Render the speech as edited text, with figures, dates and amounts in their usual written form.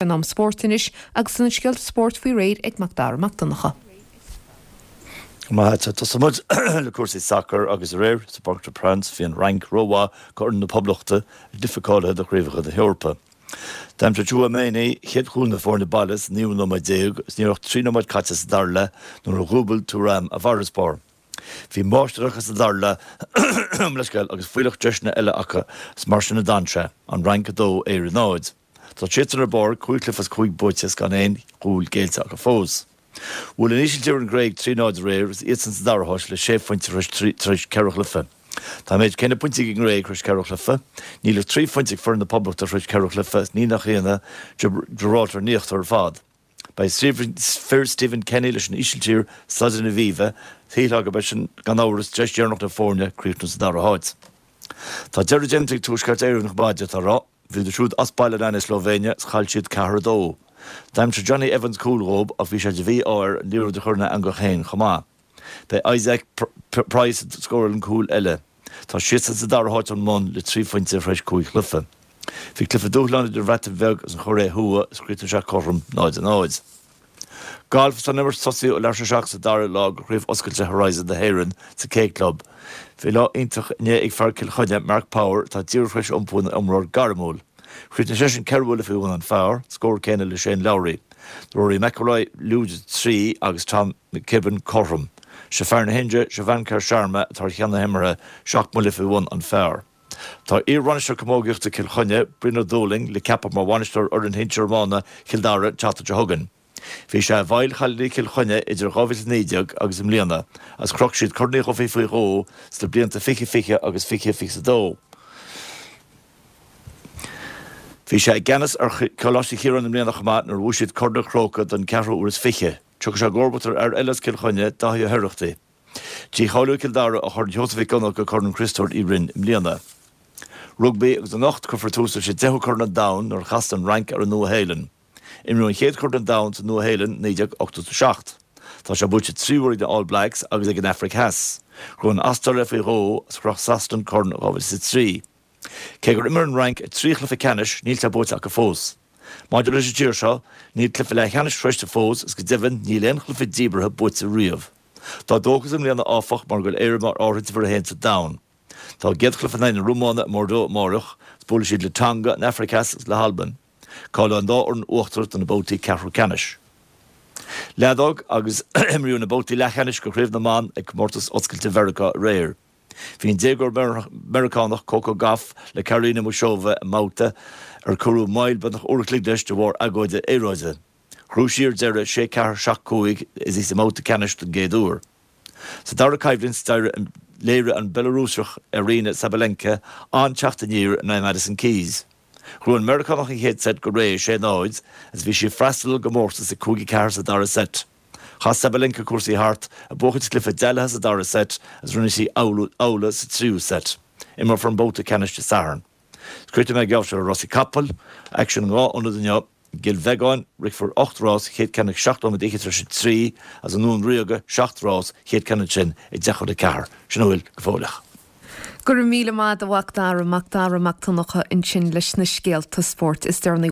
An am spóirt anois agus tá na scéalta spóirt faoi réir ag Mac Dara Mac Donncha. Maith agat. Tosóidh muid le cúrsaí sacair agus aréir sa bParc de Princes bhí an Fhrainc rómhaith do fhoireann na Poblachta, i gcluiche cáilithe do Chraobhacha na hEorpa. D'aimsigh Tchouaméni chéad chúl na foirne baile sa naoú nóiméad déag agus ní raibh ach 3 nóiméad caite sa dara leath nuair a dhúbail Thuram a bhfarasbarr. Bhí máistir acu sa dara leath, leithscéal, agus fuílleach deiseanna eile acu is mar sin a d'fhan sé, An Fhrainc 2, Éire 0. Tá siadsan ar barr, 5 chluiche as 5 buaite is gan aon chúl géillte acu fós. Bhuail an Ísiltír an Ghréig 3 0 aréir agus iadsan sa dara háit le sé phointe tar éis ceithre chluiche. Tá an méid céanna pointí ag an nGréig tar éis ceithre chluiche. Níl ach 3 phointe ag foireann na Poblachta tar éis ceithre chluiche is ní nach ionadh Gibraltar in íochtar ar fad. Beidh fir Stephen Kenny leis an Ísiltír, Staid an Aviva, shílfeá gurb é sin gan amhras deis dheireanach na foirne críochnú sa dara háit. Tá deireadh déanta ag Tuaisceart Éireann chomh maith, d'fhéadfá a rá. Bhíodar siúd as baile in aghaidh na Slóivéine is chaill siad 4-2. D'aimsigh Jonny Evans cúl dhób ach bhí sé de mhí-ádh air an liathróid a chur ina eangach féin chomh maith. B'é Isaac Price a scóráil an cúl eile. Tá siadsan sa dara háit ón mbun le 3 phointe tar éis 5 chluiche. Bhí cluiche dúshláin idir an Bhreatain Bheag agus an Chóiré Thuaidh is chríochnaigh sé cothrom 0-0. Galf Tá an imirt tosaithe ó leathuair tar éis a 7 sa dara lá de Chraobh Oscailte Horizon na hÉireann sa K Club. Bhí lá iontach inné ag fear Chill Chainnigh, Mark Power, atá díreach tar éis iompú ina imreoir gairmiúil. Chríochnaigh seisean ceithre bhuille faoi bhun an phar, scór céanna le Shane Lowry. Rory McIlroy lúide 3 agus Tom McKibbin cothrom. Sé fear na hIndia, Shubhankar Sharma, atá ar cheann na himeartha, seacht mbuille faoi bhun an phar. Tá iar-bhainisteoir camógaíochta Chill Chainnigh, Brian Ó Dúlaing, le ceapadh mar bhainisteoir fhoireann shinsir iomána Chill Dara an tseachtain seo chugainn. Bhí sé i bhfeighil chailíní Chill Chainnigh idir 2019 agus i mbliana agus chroch siad Corn Uí Dhufaigh faoi dhó sna blianta 2020 agus 2022. Bhí sé i gceannas ar Choláiste Chiaráin i mbliana chomh maith nuair a bhuaigh siad Corn an Chrócaigh don cheathrú uair is fiche. Tiocfaidh sé i gcomharbacht ar fhear eile as Cill Chainnigh, Daithí Ó hOireachtaigh. Dícháilíodh Cill Dara ó Chorn Sheosaimh Mhic Dhonncha go Corn Chriostóir Uí Rinn i mbliana. Rugbaí agus anocht cuirfear tús leis an deichiú Corn an Domhain nuair a chasann an Fhrainc ar an Nua-Shéalainn. Imríodh an chéad Chorn an Domhain sa Nua-Shéalainn i 1987. Tá sé buaite 3 huaire ag na All Blacks agus ag an Afraic Theas. Ghnóthaigh an Astráil é faoi dhó agus chroch Sasana an corn in 2003. Cé gur imir an Fhrainc 3 chluiche ceannais níl sé buaite acu fós. Maidir leis an tír seo, níl cluiche leathcheannais sroichte fós agus go deimhin níl aon chluiche díbeartha buaite riamh. Tá dóchas i mbliana áfach mar go bhfuil Éire mar áirithint uimhir a haon sa domhan. Tá a gcéad chluiche in aghaidh na Rómáine i mBordeaux amáireach agus buailfidh siad le Tonga, an Afraic Theas agus le hAlbain. Cáileoidh an dá fhoireann uachtarach do na babhtaí ceathrú ceannais. Leadóg agus imríodh na babhtaí leathcheannais de Chraobh na mBan ag Comórtas Oscailte Mheiriceá aréir. Bhí an déagóir Meiriceánach Coco Gauff le Karolina Muchova i mbabhta ar cuireadh moill beagnach uair a chloig leis de bharr agóide aeráide. Ghnóthaigh sí ar deireadh, 6 4, 7 5, is í sa mbabhta ceannais don gcéad uair. Sa dara coimhlint, léirigh an Bhealarúiseach Aryna Sabalenka an-teacht aniar in aghaidh Madison Keys. Ghnóthaigh an Meiriceánach an chéad seit go réidh, 6 0, agus bhí sí ag freastal ar an gcomórtas ag 5 4 sa dara seit. Chas Sabalenka cúrsaí thart, ag buachaint cluiche dealaithe sa dara seit agus rinne sí amhlaidh sa tríú seit. Imreofar an babhta ceannais Dé Sathairn. Críochnóidh mé an geábh seo le rásaí capall, aicsean in 2 ionad inniu. I gCill Bheagáin, rithfear 8 rás, chéad ceann ag 7 nóiméad fhichead tar éis a 3, agus i nDún Ríoga, 7 rás, chéad ceann ansin ag 10 chun a 4. Sin a bhfuil go fóilleach. Go raibh míle maith agat a Mhac Dara, Mac Dara Mac Donncha ansin leis na scéalta spóirt is deireanaí.